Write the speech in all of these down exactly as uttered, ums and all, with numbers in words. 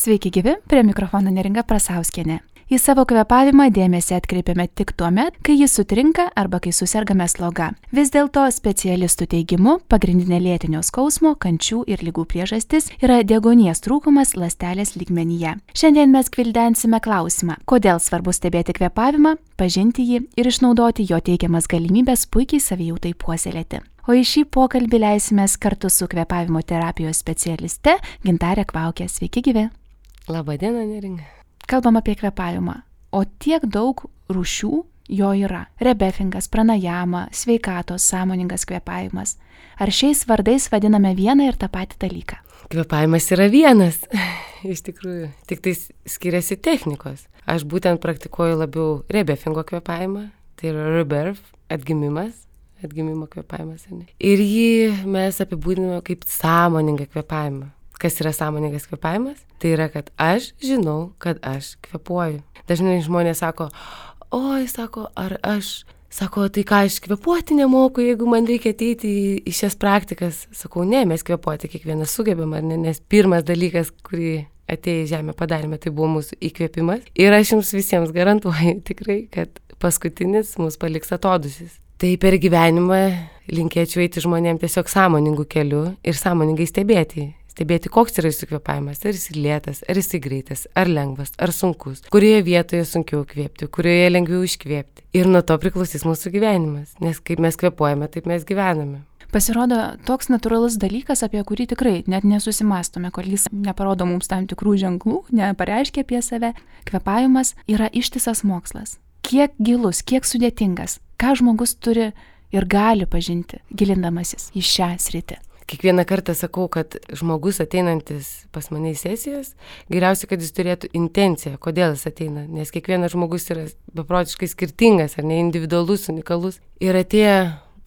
Sveiki gyvi, prie mikrofono Neringa Prasauskienė. Į savo kvėpavimą dėmesį atkreipiame tik tuo met, kai jis sutrinka arba kai susergame sloga. Vis dėlto specialistų teigimu, pagrindinė lėtinio skausmo, kančių ir ligų priežastis yra deguonies trūkumas ląstelės lygmenyje. Šiandien mes gvildensime klausimą, kodėl svarbu stebėti kvėpavimą, pažinti jį ir išnaudoti jo teikiamas galimybės puikiai savijautai puoselėti. O į šį pokalbį leisimės kartu su kvėpavimo terapijos specialiste Gintarė Kvaukė. Sveiki gyvi. Labadiena, Neringa. Kalbam apie kvėpavimą, o tiek daug rūšių jo yra. Rebefingas, pranajama, sveikatos, sąmoningas kvėpavimas. Ar šiais vardais vadiname vieną ir tą patį dalyką? Kvėpavimas yra vienas, iš tikrųjų, tik tai skiriasi technikos. Aš būtent praktikuoju labiau rebefingo kvėpavimą, tai yra rebirth, atgimimas, atgimimo kvėpavimas. Ne? Ir jį mes apibūdiname kaip sąmoningą kvėpavimą. Kas yra sąmoningas kvėpavimas? Tai yra, kad aš žinau, kad aš kvėpuoju. Dažnai žmonės sako, oi, sako, ar aš, sako, tai ką aš kvėpuoti nemoku, jeigu man reikia ateiti į, į šias praktikas. Sakau, ne, mes kvėpuoti kiekvienas sugebam, ar ne, nes pirmas dalykas, kurį atėję į žemę padarėme, tai buvo mūsų įkvėpimas. Ir aš jums visiems garantuoju tikrai, kad paskutinis mus paliks atodūsis. Tai per gyvenimą linkėčiau eiti žmonėms tiesiog sąmoningų kelių ir sąmoningai stebėti. Stebėti, koks yra jūsų kvėpavimas, ar jis lėtas, ar jis greitas, ar lengvas, ar sunkus, kurioje vietoje sunkiau kvėpti, kurioje lengviau iškvėpti. Ir nuo to priklausys mūsų gyvenimas, nes kaip mes kvėpuojame, taip mes gyvename. Pasirodo, toks natūralus dalykas, apie kurį tikrai net nesusimastome, kol jis neparodo mums tam tikrų ženklų, nepareiškia apie save. Kvėpavimas yra ištisas mokslas. Kiek gilus, kiek sudėtingas, ką žmogus turi ir gali pažinti, gilindamasis į šią sritį. Kiekvieną kartą sakau, kad žmogus ateinantis pas mane į sesijas, geriausia, kad jis turėtų intenciją, kodėl jis ateina, nes kiekvienas žmogus yra beprotiškai skirtingas, ar ne, individualus, unikalus. Ir atėję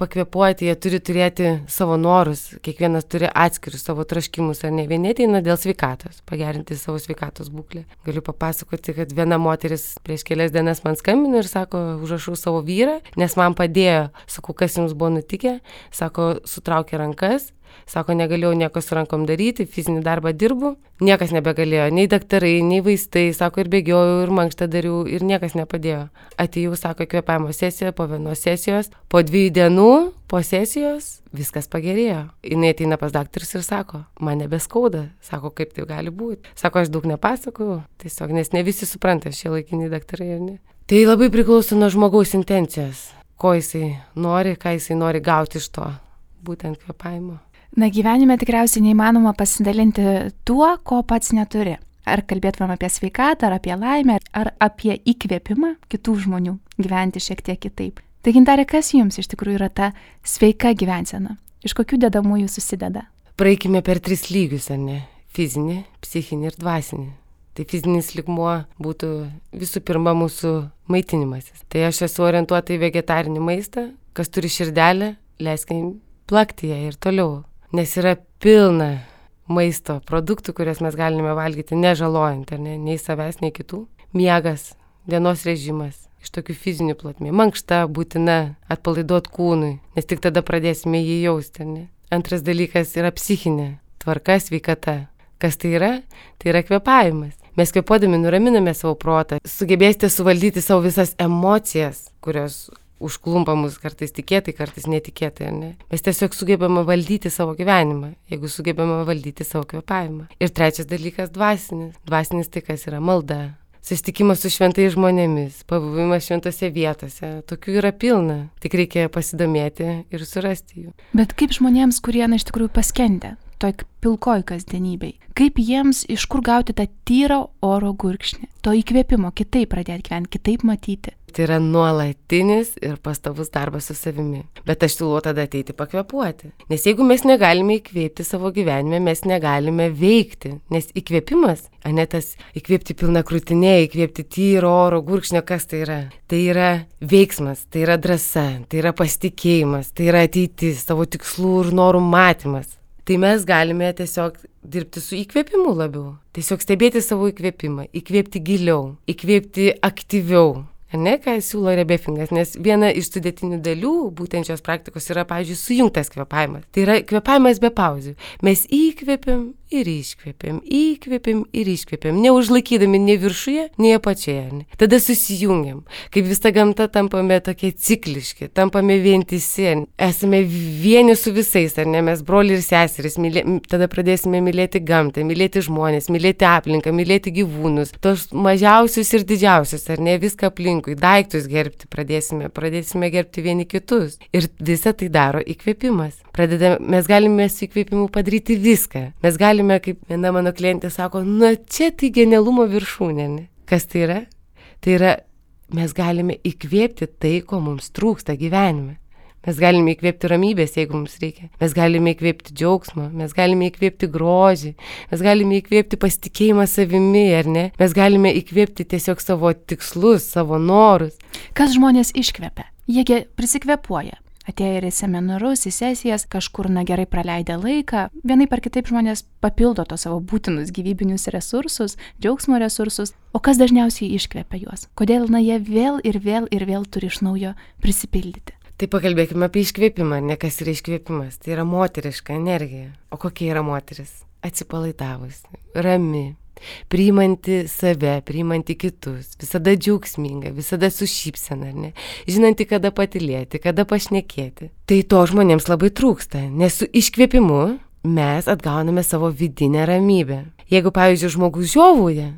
pakvėpuoti, jie turi turėti savo norus, kiekvienas turi atskirius savo troškimus, ar ne, vieni ateina dėl sveikatos, pagerinti savo sveikatos būklę. Galiu papasakoti, kad viena moteris prieš kelias dienas man skambino ir sako, užrašau savo vyrą, nes man padėjo. Sakau, kas jums buvo nutikę, sako, sutraukė rankas. Sako, negalėjau nieko su rankom daryti, fizinį darbą dirbu, niekas nebegalėjo, nei daktarai, nei vaistai, sako, ir bėgiojau, ir mankštą dariau, ir niekas nepadėjo. Atėjau, sako, kvėpavimo sesiją, po vienos sesijos, po dviejų dienų, po sesijos, viskas pagerėjo. Jis ateina pas daktarus ir sako, man nebeskauda, sako, kaip tai gali būti. Sako, aš daug nepasakau, tiesiog, nes ne visi supranta šie laikiniai daktarai, ar ne. Tai labai priklauso nuo žmogaus intencijos, ko jisai nori, ką jisai nori gauti iš to, būtent kvėpavimo. Na, gyvenime tikriausiai neįmanoma pasidalinti tuo, ko pats neturi. Ar kalbėtumėm apie sveikatą, ar apie laimę, ar apie įkvėpimą kitų žmonių gyventi šiek tiek kitaip. Tai Gintarė, kas jums iš tikrųjų yra ta sveika gyvensena? Iš kokių dedamųjų susideda? Praeikime per tris lygius, ar ne? Fizinį, psichinį ir dvasinį. Tai fizinis lygmuo būtų visų pirma mūsų maitinimasis. Tai aš esu orientuota į vegetarinį maistą, kas turi širdelę, leiskime plakti ją ir toliau. Nes yra pilna maisto produktų, kurias mes galime valgyti nežalojant, ar ne, nei savęs, nei kitų. Miegas, dienos režimas, iš tokių fizinių plotmė. Mankšta būtina atpalaiduoti kūnui, nes tik tada pradėsime jį jausti, ar ne. Antras dalykas yra psichinė tvarka, sveikata. Kas tai yra? Tai yra kvėpavimas. Mes kvėpuodami nuraminame savo protą, sugebėsite suvaldyti savo visas emocijas, kurios užklumpa mus kartais tikėtai, kartais netikėtai, ar ne? Mes tiesiog sugebame valdyti savo gyvenimą, jeigu sugebame valdyti savo kvėpavimą. Ir trečias dalykas - dvasinis. Dvasinis tai kas yra malda, susitikimas su šventais žmonėmis, pabuvimas šventose vietose. Tokių yra pilna, tik reikia pasidomėti ir surasti jų. Bet kaip žmonėms, kurie na iš tikrųjų paskendę toj pilkoj kasdienybei, kaip jiems iš kur gauti tą tyrą oro gurkšnį, to įkvėpimo, kitaip pradėti gyventi, kitaip matyti? Tai yra nuolatinis ir pastovus darbas su savimi. Bet aš siūlau tada ateiti pakvėpuoti. Nes jeigu mes negalime įkvėpti savo gyvenime, mes negalime veikti. Nes įkvėpimas, a ne tas įkvėpti pilna krūtinė, įkvėpti tyro oro gurkšnio, kas tai yra? Tai yra veiksmas, tai yra drąsa, tai yra pasitikėjimas, tai yra ateitis, savo tikslų ir norų matymas. Tai mes galime tiesiog dirbti su įkvėpimu labiau. Tiesiog stebėti savo įkvėpimą, įkvėpti giliau, įkvėpti aktyviau. Ar ne, ką siūlo rebefingas, nes viena iš sudėtinių dalių būtent šios praktikos yra, pavyzdžiui, sujungtas kvėpavimas. Tai yra kvėpavimas be pauzių. Mes įkvėpiam ir iškvėpiam, įkvėpiam ir iškvėpiam, neužlaikydami nei viršuje, nei apačioje. Ne? Tada susijungiam, kaip visa gamta tampame tokie cikliški, tampame vientisi, esame vieni su visais, ar ne, mes broliai ir seserys, mylė, tada pradėsime mylėti gamtą, mylėti žmonės, mylėti aplinką, mylėti gyvūnus, tos mažiausius ir didžiausius, ar ne, viską aplinkui, daiktus gerbti pradėsime, pradėsime gerbti vieni kitus. Ir visą tai daro įkvėpimas. Pradedame, mes galime su įkvėpimu padaryti viską. Mes galime, kaip viena mano klientė sako, na čia tai genialumo viršūnė. Ne? Kas tai yra? Tai yra, mes galime įkvėpti tai, ko mums trūksta gyvenime. Mes galime įkvėpti ramybės, jeigu mums reikia. Mes galime įkvėpti džiaugsmą, mes galime įkvėpti grožį, mes galime įkvėpti pasitikėjimą savimi, ar ne? Mes galime įkvėpti tiesiog savo tikslus, savo norus. Kas žmonės iškvepia? Jiegi prisikvėpuoja. Atėję ir į seminarus, į sesijas, kažkur na gerai praleidę laiką, vienaip ar kitaip žmonės papildo to savo būtinus gyvybinius resursus, džiaugsmo resursus, o kas dažniausiai iškvepia juos? Kodėl na jie vėl ir vėl ir vėl turi iš naujo prisipildyti? Tai pakalbėkime apie iškvėpimą, ne kas yra iškvėpimas, tai yra moteriška energija. O kokia yra moteris? Atsipalaidavusi, rami, priimanti save, priimanti kitus, visada džiaugsminga, visada su šypsena, ne? Žinanti, kada patylėti, kada pašnekėti. Tai to žmonėms labai trūksta, nes su iškvėpimu mes atgauname savo vidinę ramybę. Jeigu, pavyzdžiui, žmogus žiovauja,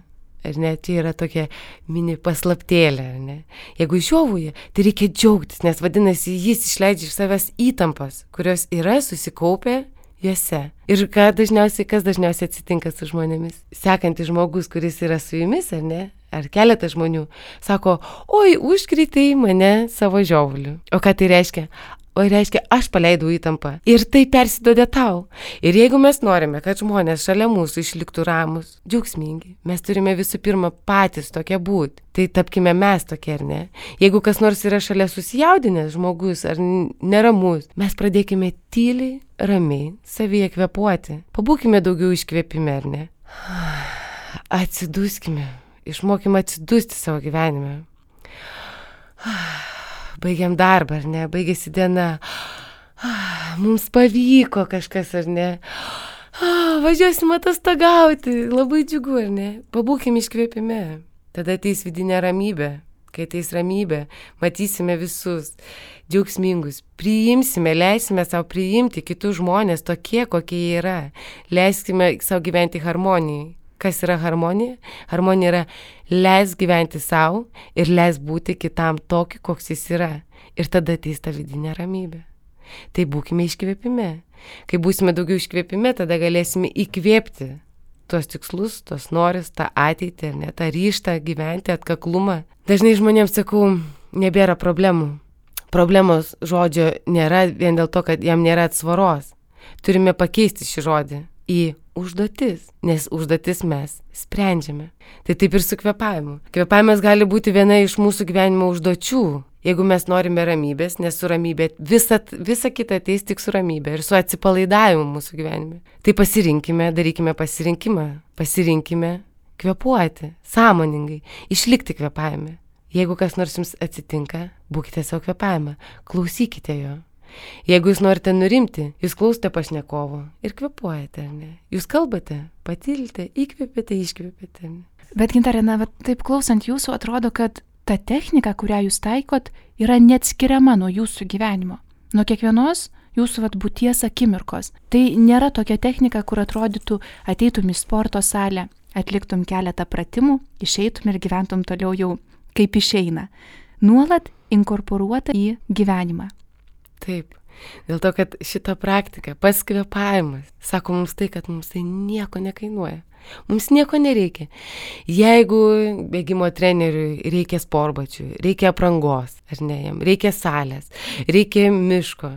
ar ne, čia yra tokia mini paslaptėlė, ar ne? Jeigu žiovauja, tai reikia džiaugtis, nes vadinasi, jis išleidžia iš savęs įtampas, kurios yra susikaupę juose. Ir ką dažniausiai, kas dažniausiai atsitinka su žmonėmis? Sekantis žmogus, kuris yra su jumis, ar ne? Ar keletas žmonių, sako, oi, užkreitei mane savo žiovuliu. O ką tai reiškia? O reiškia, aš paleidau įtampą. Ir tai persiduoda tau. Ir jeigu mes norime, kad žmonės šalia mūsų išliktų ramus, džiaugsmingi, mes turime visų pirma patys tokie būti. Tai tapkime mes tokie, ar ne? Jeigu kas nors yra šalia susijaudinęs žmogus ar neramus, mes pradėkime tyliai, ramiai, savyje kvėpuoti. Pabūkime daugiau iškvėpime, ar ne? Atsiduskime. Išmokime atsidusti savo gyvenime. Baigiam darbą, ar ne? Baigėsi diena. Mums pavyko kažkas, ar ne? Važiuosim atostogauti. Labai džiugu, ar ne? Pabūkime iškvėpime. Tada ateis vidinė ramybė. Kai ateis ramybė, matysime visus džiaugsmingus. Priimsime, leisime savo priimti kitus žmonės tokie, kokie jie yra. Leiskime savo gyventi harmonijai. Kas yra harmonija? Harmonija yra leis gyventi savo ir leis būti kitam tokį, koks jis yra. Ir tada ateis ta vidinė ramybė. Tai būkime iškvėpime. Kai būsime daugiau iškvėpime, tada galėsime įkvėpti tuos tikslus, tuos noris, tą ateitį, ne, tą ryžtą gyventi, atkaklumą. Dažnai žmonėms sakau, nebėra problemų. Problemos žodžio nėra vien dėl to, kad jam nėra atsvaros. Turime pakeisti šį žodį į užduotis, nes užduotis mes sprendžiame. Tai taip ir su kvėpavimu. Kvėpavimas gali būti viena iš mūsų gyvenimo užduočių, jeigu mes norime ramybės, nes su ramybė visa, visa kita ateis tik su ramybė ir su atsipalaidavimu mūsų gyvenime. Tai pasirinkime, darykime pasirinkimą, pasirinkime kvėpuoti, sąmoningai, išlikti kvėpavime. Jeigu kas nors jums atsitinka, būkite savo kvėpavimą, klausykite jo. Jeigu jūs norite nurimti, jūs klausote pašnekovo ir kvėpuojate, ar ne? Jūs kalbate, patylite, įkvėpėte, iškvėpėte. Bet Gintarė, na, taip klausant jūsų, atrodo, kad ta technika, kurią jūs taikot, yra neatskiriama nuo jūsų gyvenimo. Nuo kiekvienos jūsų vat, būties akimirkos. Tai nėra tokia technika, kur atrodytų, ateitum į sporto salę, atliktum keletą pratimų, išeitum ir gyventum toliau jau kaip išeina. Nuolat inkorporuota į gyvenimą. Taip, dėl to, kad šita praktika, pats kvėpavimas, sako mums tai, kad mums tai nieko nekainuoja. Mums nieko nereikia. Jeigu bėgimo treneriui reikia sportbačių, reikia aprangos, ar ne, jam reikia salės, reikia miško,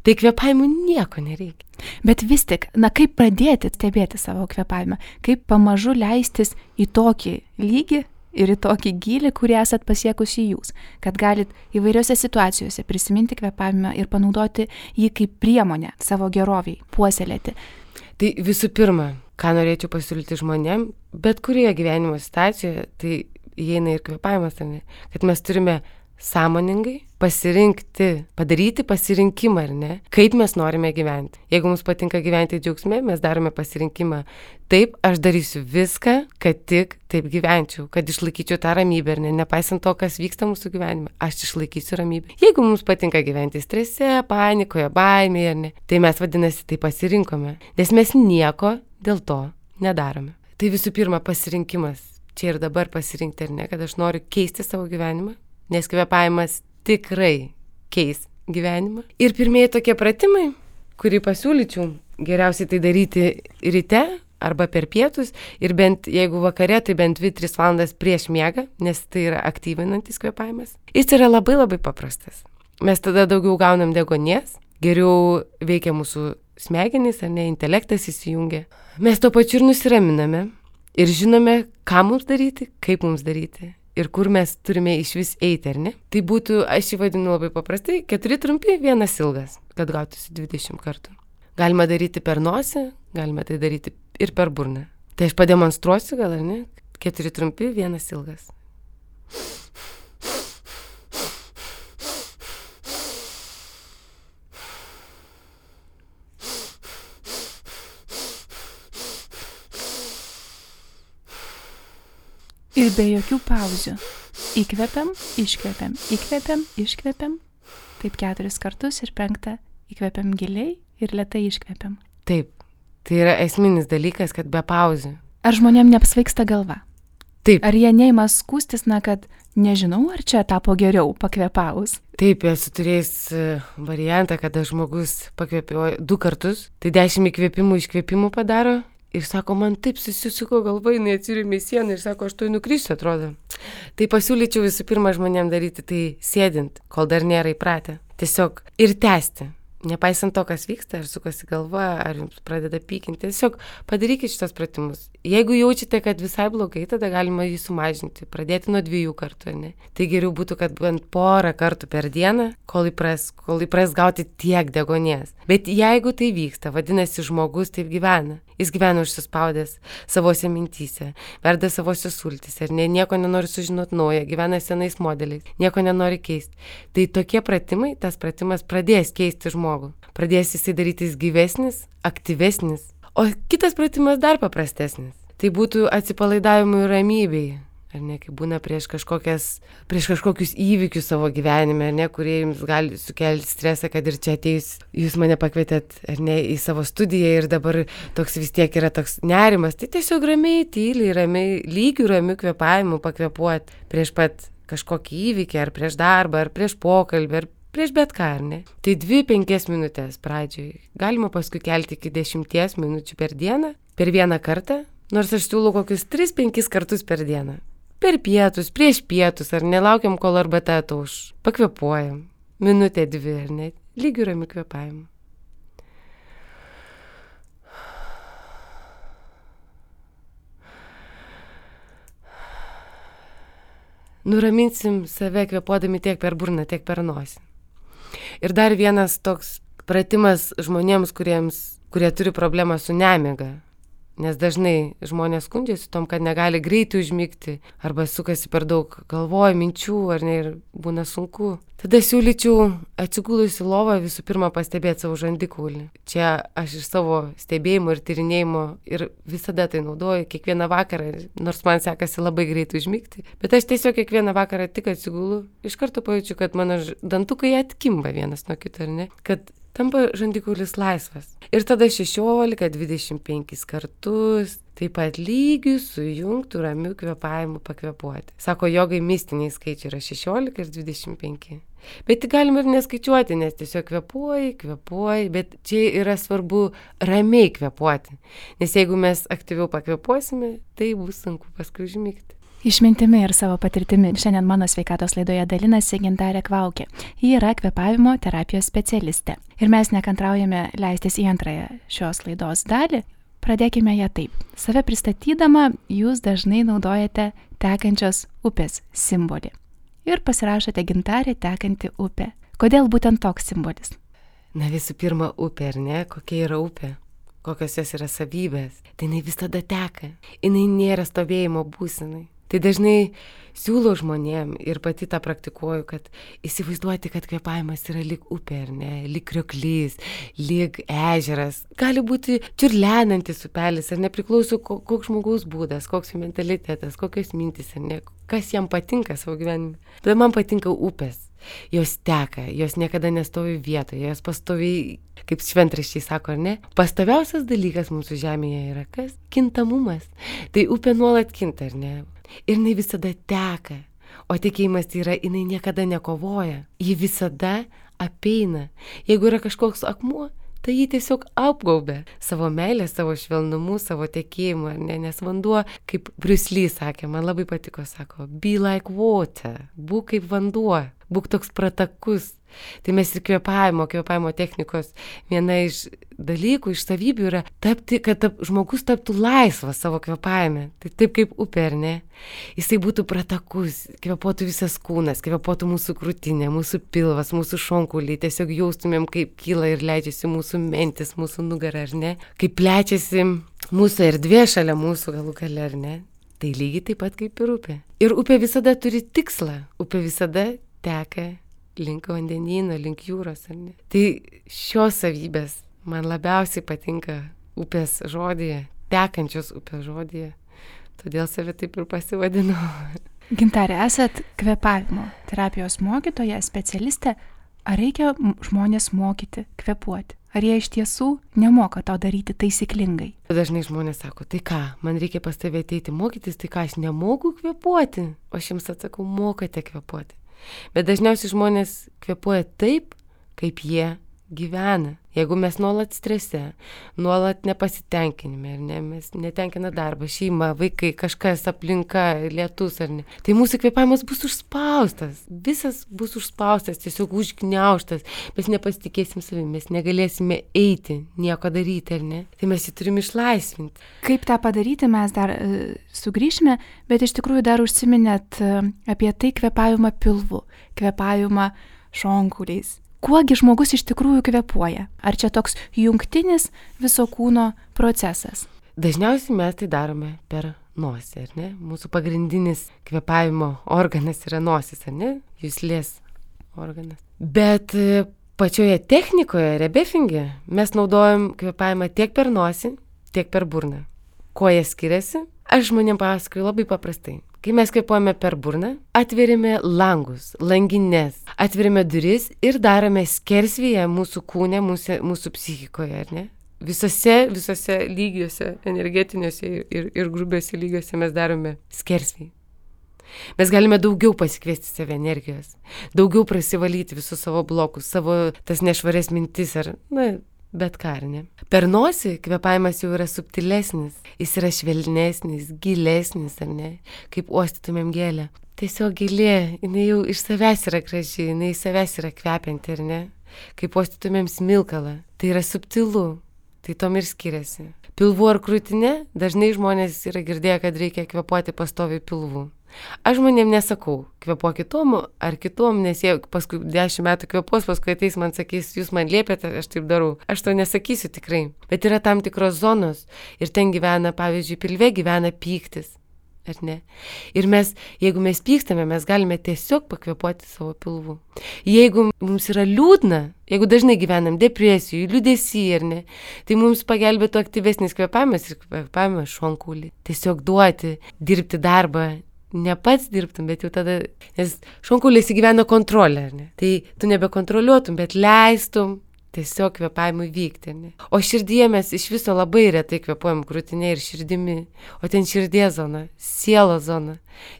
tai kvėpavimui nieko nereikia. Bet vis tik, na kaip pradėti stebėti savo kvėpavimą, kaip pamažu leistis į tokį lygį, ir į tokį gylį, kurį esat pasiekusi jūs, kad galit įvairiose situacijose prisiminti kvėpavimą ir panaudoti jį kaip priemonę savo geroviai, puoselėti. Tai visų pirma, ką norėčiau pasiūlyti žmonėm, bet kurioje gyvenimo situacijoje, tai įeina ir kvėpavimas, ne, kad mes turime sąmoningai pasirinkti, padaryti pasirinkimą, ar ne, kaip mes norime gyventi. Jeigu mums patinka gyventi džiaugsme, mes darome pasirinkimą. Taip, aš darysiu viską, kad tik taip gyvenčiau, kad išlaikyčiau tą ramybę, ar ne, nepaisant to, kas vyksta mūsų gyvenime, aš išlaikysiu ramybę. Jeigu mums patinka gyventi strese, panikoje, baimėje, ar ne, tai mes vadinasi tai pasirinkome, nes mes nieko dėl to nedarome. Tai visų pirma pasirinkimas, čia ir dabar pasirinkti, ar ne, kad aš noriu keisti savo gyvenimą, nes kvėpavimas tikrai keis gyvenimą. Ir pirmieji tokie pratimai, kurį pasiūlyčiau, geriausiai tai daryti ryte, arba per pietus ir bent, jeigu vakare, tai bent dvi tris valandas prieš miegą, nes tai yra aktyvinantis kvėpavimas. Jis yra labai labai paprastas. Mes tada daugiau gaunam deguonies, geriau veikia mūsų smegenys, ar ne, intelektas įsijungia. Mes tuo pačiu ir nusiraminame ir žinome, ką mums daryti, kaip mums daryti ir kur mes turime iš vis eiti, ar ne. Tai būtų, aš jį vadinu labai paprastai, keturi trumpi, vienas ilgas, kad gautųsi dvidešimt kartų. Galima daryti per nosį, galima tai daryti ir per burną. Tai aš pademonstruosiu gal, ar ne? Keturi trumpi, vienas ilgas. Ir be jokių pauzių. Įkvepiam, iškvepiam, įkvepiam, iškvepiam. Taip keturis kartus ir penktą įkvepiam giliai ir lėtai iškvepiam. Taip, tai yra esminis dalykas, kad be pauzių. Ar žmonėm neapsvaigsta galva? Taip. Ar jie neima skūstis, na, kad nežinau, ar čia tapo geriau pakvėpavus? Taip, esu turėjęs variantą, kada žmogus pakvėpėjo du kartus, tai dešimt įkvėpimų iškvėpimų padaro ir sako, man taip susisuko galva, jinai atsirėmė į sieną ir sako, aš to nukrisiu, atrodo. Tai pasiūlyčiau visų pirma žmonėm daryti tai sėdint, kol dar nėra įpratę. Tiesiog ir tęsti. Nepaisant to, kas vyksta, ar sukasi galva, ar jums pradeda pykinti, tiesiog padarykite šitos pratimus. Jeigu jaučiate, kad visai blogai, tada galima jį sumažinti, pradėti nuo dviejų kartų, ne? Tai geriau būtų, kad bent porą kartų per dieną, kol įpras, kol įpras gauti tiek deguonies. Bet jeigu tai vyksta, vadinasi, žmogus taip gyvena. Jis gyvena užsispaudęs savose mintyse, verda savose sultyse, ar ne, nieko nenori sužinoti naujo, gyvena senais modeliais, nieko nenori keisti. Tai tokie pratimai, tas pratimas pradės keisti žmogų. Pradės jisai darytis gyvesnis, aktyvesnis. O kitas pratimas dar paprastesnis. Tai būtų atsipalaidavimui ir ramybei. Ar ne, kai būna prieš kažkokias, prieš kažkokius įvykius savo gyvenime, ar ne, kurie jums gali sukelti stresą, kad ir čia ateis, jūs mane pakvietėt, ar ne, į savo studiją ir dabar toks vis tiek yra toks nerimas, tai tiesiog ramiai, tyliai, ramiai, lygių ramių kvėpavimų pakvėpuoti prieš pat kažkokį įvykį, ar prieš darbą, ar prieš pokalbį, ar prieš bet ką, ar ne. Tai dvi penkias minutės pradžioj. Galima paskui kelti iki dešimties minučių per dieną, per vieną kartą, nors aš siūlau kokius tris penkis kartus per dieną. Per pietus, prieš pietus, ar nelaukiam, kol arbata atauš. Pakvėpuojam. Minutė dvi, ar ne? Lygių ramių kvėpavimų. Nuraminsim save kvėpuodami tiek per burną, tiek per nosį. Ir dar vienas toks pratimas žmonėms, kuriems, kurie turi problemą su nemiga. Nes dažnai žmonės skundžiasi tom, kad negali greitai užmigti arba sukasi per daug galvoja, minčių, ar ne, ir būna sunku. Tada siūlyčiau atsigulus į lovą visų pirma pastebėti savo žandikaulį. Čia aš iš savo stebėjimo ir tyrinėjimo ir visada tai naudoju kiekvieną vakarą, nors man sekasi labai greitai užmigti. Bet aš tiesiog kiekvieną vakarą tik atsigulu, iš karto pajaučiu, kad mano dantukai atkimba vienas nuo kito, ar ne, kad tampa žandikaulis laisvas. Ir tada šešiolika dvidešimt penkis kartus, taip pat lygių sujungtų ramių kvėpavimų pakvėpuoti. Sako, jogai mistiniai skaičiai yra šešiolika ir dvidešimt penki. Bet galima ir neskaičiuoti, nes tiesiog kvėpuoji, kvėpuoji, bet čia yra svarbu ramiai kvėpuoti. Nes jeigu mes aktyviau pakvėpuosime, tai bus sunku paskui užmigti. Išmintimi ir savo patirtimi šiandien mano sveikatos laidoje dalinasi Gintarė Kvaukė. Ji yra kvėpavimo terapijos specialistė. Ir mes nekantraujame leistis į antrąją šios laidos dalį. Pradėkime ją taip. Save pristatydama, jūs dažnai naudojate tekančios upės simbolį. Ir pasirašote Gintarė tekanti upė. Kodėl būtent toks simbolis? Na visų pirma, upė, ar ne? Kokia yra upė? Kokios jos yra savybės? Tai jinai visada teka. Jinai nėra stovėjimo būsenai. Tai dažnai siūlau žmonėm ir pati tą praktikuoju, kad įsivaizduoti, kad kvėpavimas yra lyg upė, ar ne, lyg krioklys, lyg ežeras. Gali būti čiurlenantis upelis, ar nepriklauso koks žmogaus būdas, koks mentalitetas, kokios mintis, ar ne, kas jam patinka savo gyvenime. Bet man patinka upės. Jos teka, jos niekada nestovi vietoje, jos pastoviai, kaip šventraščiai sako, ar ne? Pastoviausias dalykas mūsų žemėje yra kas? Kintamumas. Tai upė nuolat kinta, ar ne? Ir jinai visada teka. O tikėjimas tai yra, jinai niekada nekovoja. Ji visada apeina. Jeigu yra kažkoks akmuo, tai jį tiesiog apgaubia savo meilę, savo švelnumu, savo tekėjimu, ar ne? Nes vanduo, kaip Bruce Lee sakė, man labai patiko, sako, be like water, būk kaip vanduo, būk toks pratakus. Tai mes ir kvėpavimo, kvėpavimo technikos viena iš dalykų, iš savybių yra tapti, kad tap, žmogus taptų laisvas savo kvėpavime. Tai taip kaip upė, ar ne? Jisai būtų pratakus, kvėpuotų visas kūnas, kvėpuotų mūsų krūtinė, mūsų pilvas, mūsų šonkuliai, tiesiog jaustumėm, kaip kyla ir leidžiasi mūsų mentis, mūsų nugara, ar ne? Kaip plečiasi mūsų erdvė šalia mūsų galų gale, ar ne? Tai lygiai taip pat kaip ir upė. Ir upė visada turi tikslą, upė visada teka link vandenyno, link jūros, ar ne? Tai šios savybės man labiausiai patinka upės žodyje, tekančios upės žodyje. Todėl save taip ir pasivadinu. Gintarė, esat kvėpavimo terapijos mokytoja, specialistė. Ar reikia žmonės mokyti kvėpuoti? Ar jie iš tiesų nemoka to daryti taisyklingai? Dažnai žmonės sako, tai ką, man reikia pas tave ateiti mokytis, tai ką, aš nemoku kvėpuoti? O aš jums atsakau, mokate kvėpuoti. Bet dažniausiai žmonės kvėpuoja taip, kaip jie gyvena. Jeigu mes nuolat strese, nuolat nepasitenkinime, ar ne, mes netenkina darbą, šeima, vaikai, kažkas, aplinka, lietus, ar ne, tai mūsų kvėpavimas bus užspaustas, visas bus užspaustas, tiesiog užgniaužtas, mes nepasitikėsim savimi, mes negalėsime eiti, nieko daryti, ar ne, tai mes jį turim išlaisvinti. Kaip tą padaryti, mes dar uh, sugrįšime, bet iš tikrųjų dar užsiminėt uh, apie tai kvėpavimą pilvu, kvėpavimą šonkuliais. Kuogi žmogus iš tikrųjų kvėpuoja? Ar čia toks jungtinis viso kūno procesas? Dažniausiai mes tai darome per nosį, ar ne? Mūsų pagrindinis kvėpavimo organas yra nosis, ar ne? Juslės organas. Bet pačioje technikoje, rebefinge, mes naudojam kvėpavimą tiek per nosį, tiek per burną. Kuo jie skiriasi? Aš žmonėm pasakoju labai paprastai. Kai mes kvėpuojame per burną, atveriame langus, langines, atveriame duris ir darome skersvėje mūsų kūne, mūsų, mūsų psichikoje, ar ne? Visose, visose lygiuose, energetiniuose ir, ir grubiuose lygiuose mes darome skersvėje. Mes galime daugiau pasikviesti save energijos, daugiau prasivalyti visus savo blokus, savo tas nešvarias mintis ar, na, bet ką, ar ne? Per nosį kvėpavimas jau yra subtilesnis, jis yra švelnesnis, gilesnis, ar ne? Kaip uostytumėm gėlę. Tiesiog gėlė, jinai jau iš savęs yra graži, jinai iš savęs yra kvepianti, ar ne? Kaip uostytumėm smilkalą, tai yra subtilu, tai tom ir skiriasi. Pilvu ar krūtinė, dažnai žmonės yra girdėję, kad reikia kvėpuoti pastoviai pilvu. Aš žmonėm nesakau, kvėpuok kitom ar kitom, nes jie paskui dešimt metų kvėpuos, paskui ateis man sakys, jūs man liepėte, aš taip darau. Aš to nesakysiu tikrai. Bet yra tam tikros zonos ir ten gyvena, pavyzdžiui, pilve gyvena pyktis, ar ne? Ir mes, jeigu mes pykstame, mes galime tiesiog pakvėpuoti savo pilvu. Jeigu mums yra liūdna, jeigu dažnai gyvenam depresijų, liūdesį, ar ne, tai mums pagelbėtų aktyvesnis kvėpavimas ir kvėpavimas šonkulį. Tiesiog duoti, dirbti darbą. Ne pats dirbtum, bet jau tada, nes šonkulės įgyvena kontrolę, ar ne? Tai tu nebekontroliuotum, bet leistum tiesiog kvėpavimui vykti, ar ne? O širdyje mes iš viso labai retai kvėpuojam krūtinė ir širdimi, o ten širdies zona, sielos zona.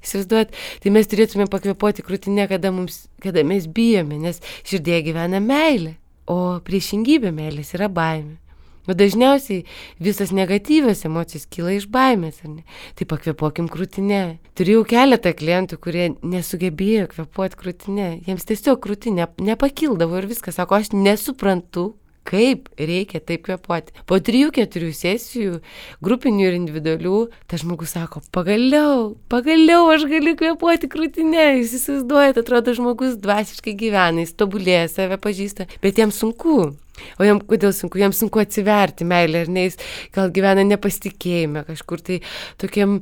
Įsivaizduojat, tai mes turėtume pakvėpuoti krūtinę, kada, mums, kada mes bijome, nes širdėje gyvena meilė, o priešingybė meilės yra baimė. O dažniausiai visas negatyvios emocijos kyla iš baimės, ar ne? Tai pakvėpuokim krūtinę. Turėjau keletą klientų, kurie nesugebėjo kvėpuoti krūtinę. Jiems tiesiog krūtinė nepakildavo ir viskas. Sako, aš nesuprantu, kaip reikia taip kvėpuoti. Po trijų, keturių sesijų, grupinių ir individualių, tas žmogus sako, pagaliau, pagaliau aš galiu kvėpuoti krūtinę. Jūs įsivaizduojate, atrodo, žmogus dvasiškai gyvena, jis tobulėja, save pažįsta, bet jam sunku. O jam kodėl sunku? Jam sunku atsiverti meilę, ar ne, jis gal gyvena nepasitikėjime kažkur, tai tokiam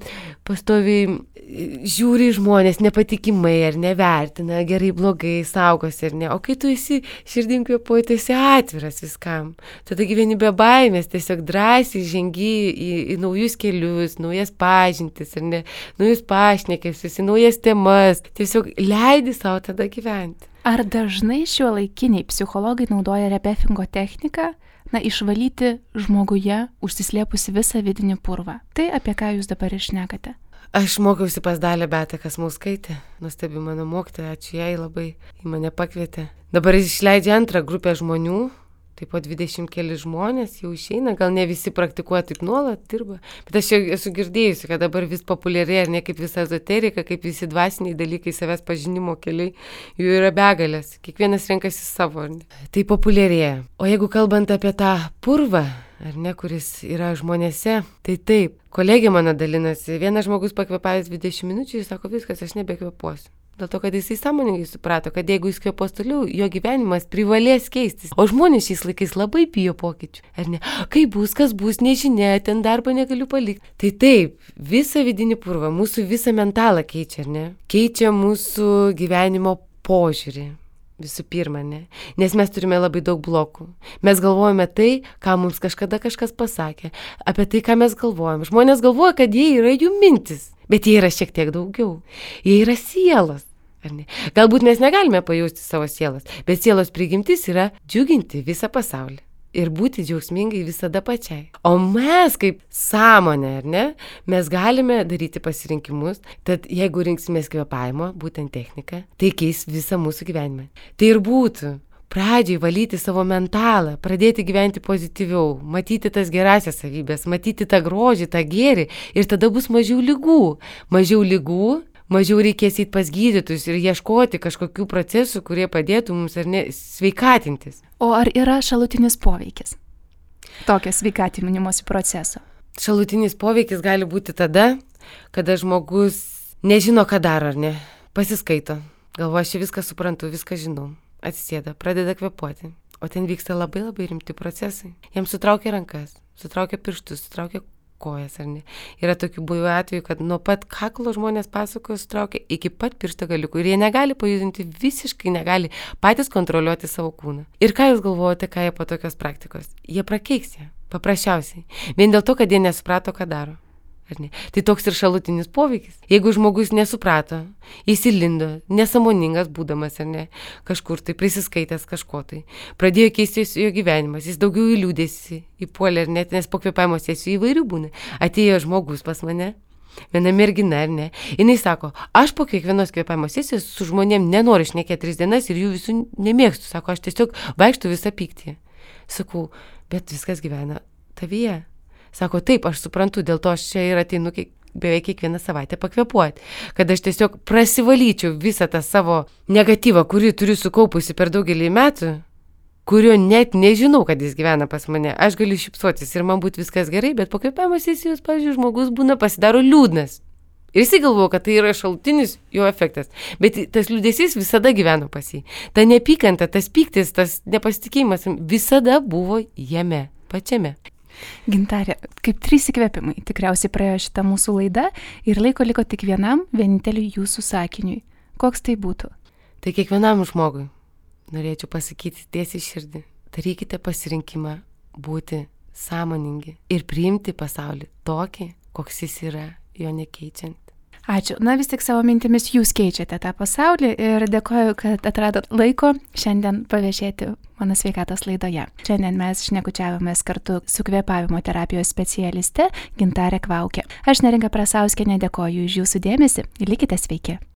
pastoviai žiūri žmonės nepatikimai, ar nevertina, gerai, blogai, saugosi, ar ne. O kai tu esi širdim kvėpuoji, tai esi atviras viskam. Tada gyveni be baimės, tiesiog drąsiai žengi į, į naujus kelius, naujas pažintis, ar ne, naujus pašnekesius, į naujas temas. Tiesiog leidi savo tada gyventi. Ar dažnai šiuolaikiniai psichologai naudoja rebefingo techniką, na, išvalyti žmoguje užsislėpusi visą vidinį purvą? Tai apie ką jūs dabar išnekate? Aš mokiausi pas Dalią Beatą Kasmauskaitę, nuostabi mano mokytoja, ačiū jai labai, į mane pakvietė. Dabar jis išleidžia antrą grupę žmonių, tai po dvidešimt keli žmonės jau išeina, gal ne visi praktikuoja taip nuolat, dirba, bet aš jau esu girdėjusi, kad dabar vis populiarėja, ne kaip visa ezoterika, kaip visi dvasiniai dalykai, savęs pažinimo keliai, jų yra begalės, kiekvienas renkasi savo, ar ne? Tai populiarėja. O jeigu kalbant apie tą purvą, ar ne, kuris yra žmonėse, tai taip, kolegė mano dalinasi, vienas žmogus pakvėpavęs dvidešimt minučių, jis sako, viskas, aš nebekvėpuosiu. Dėl to, kad jisai sąmoningai suprato, kad jeigu jis kvėpuos toliau, jo gyvenimas privalės keistis. O žmonės šiais laikais labai bijo pokyčių. Ar ne? Kaip bus, kas bus, nežinia, ten darbą negaliu palikti. Tai taip, visą vidinį purvą, mūsų visą mentalą keičia, ar ne? Keičia mūsų gyvenimo požiūrį. Visų pirma, ne? Nes mes turime labai daug blokų. Mes galvojame tai, ką mums kažkada kažkas pasakė, apie tai, ką mes galvojame. Žmonės galvoja, kad jie yra jų mintis, bet jie yra šiek tiek daugiau. Jie yra sielos. Ar ne? Galbūt mes negalime pajausti savo sielos, bet sielos prigimtis yra džiuginti visą pasaulį ir būti džiaugsmingai visada pačiai. O mes kaip sąmonė, ar ne, mes galime daryti pasirinkimus, tad jeigu rinksimės kvėpavimo, būtent techniką, tai keis visą mūsų gyvenimą. Tai ir būtų pradžiai valyti savo mentalą, pradėti gyventi pozityviau, matyti tas gerasias savybės, matyti tą grožį, tą gėrį ir tada bus mažiau ligų. Mažiau ligų, mažiau reikės įti pas gydytojus ir ieškoti kažkokių procesų, kurie padėtų mums ar ne sveikatintis. O ar yra šalutinis poveikis tokio sveikatinimosi proceso? Šalutinis poveikis gali būti tada, kada žmogus nežino, ką daro, ar ne, pasiskaito, galvoja, aš viską suprantu, viską žinau, atsisėda, pradeda kvėpuoti, o ten vyksta labai labai rimti procesai. Jam sutraukia rankas, sutraukia pirštus, sutraukia kojas, ar ne. Yra tokių buvę atvejų, kad nuo pat kaklo žmonės pasakoja, sutraukia iki pat piršto galiukų ir jie negali pajudinti, visiškai negali patys kontroliuoti savo kūną. Ir ką jūs galvojate, ką jie po tokios praktikos? Jie prakeiksė, paprasčiausiai. Vien dėl to, kad jie nesuprato, ką daro. Ar ne? Tai toks ir šalutinis poveikis. Jeigu žmogus nesuprato, įsilindo, nesąmoningas būdamas, ar ne, kažkur tai prisiskaitęs kažko tai, pradėjo keistis jo gyvenimas, jis daugiau į liūdėsi, įpuolė, ar net, nes po kvėpavimo sesijų įvairių būna. Atėjo žmogus pas mane, viena mergina, ar ne, jinai sako, aš po kiekvienos kvėpavimo sesijos su žmonėm nenoriu šnekėti tris dienas ir jų visų nemėgstu, sako, aš tiesiog vaikštu visą pyktį. Sakau, bet viskas gyvena tavyje. Sako, taip, aš suprantu, dėl to aš čia ir ateinu kiek, beveik kiekvieną savaitę pakvėpuoti, kad aš tiesiog prasivalyčiau visą tą savo negatyvą, kurį turiu sukaupusi per daugelį metų, kurio net nežinau, kad jis gyvena pas mane. Aš galiu šypsotis ir man būtų viskas gerai, bet po kvėpavimo sesijos, pavyzdžiui, žmogus būna pasidaro liūdnas. Ir jisai galvoja, kad tai yra šalutinis jo efektas. Bet tas liūdesys visada gyveno pas jį. Ta neapykanta, tas pyktis, tas nepasitikėjimas visada buvo jame, pačiame. Gintarė, kaip trys įkvėpimai, tikriausiai praėjo šitą mūsų laidą ir laiko liko tik vienam, vieninteliui jūsų sakiniui. Koks tai būtų? Tai kiekvienam žmogui norėčiau pasakyti tiesiai širdį. Darykite pasirinkimą būti sąmoningi ir priimti pasaulį tokį, koks jis yra, jo nekeičiant. Ačiū. Na vis tik savo mintimis jūs keičiate tą pasaulį ir dėkoju, kad atradot laiko šiandien paviešėti mano sveikatos laidoje. Šiandien mes šnekučiavomės kartu su kvėpavimo terapijos specialiste Gintarė Kvaukė. Aš Neringa Prasauskienė dėkoju už jūsų dėmesį ir likite sveiki.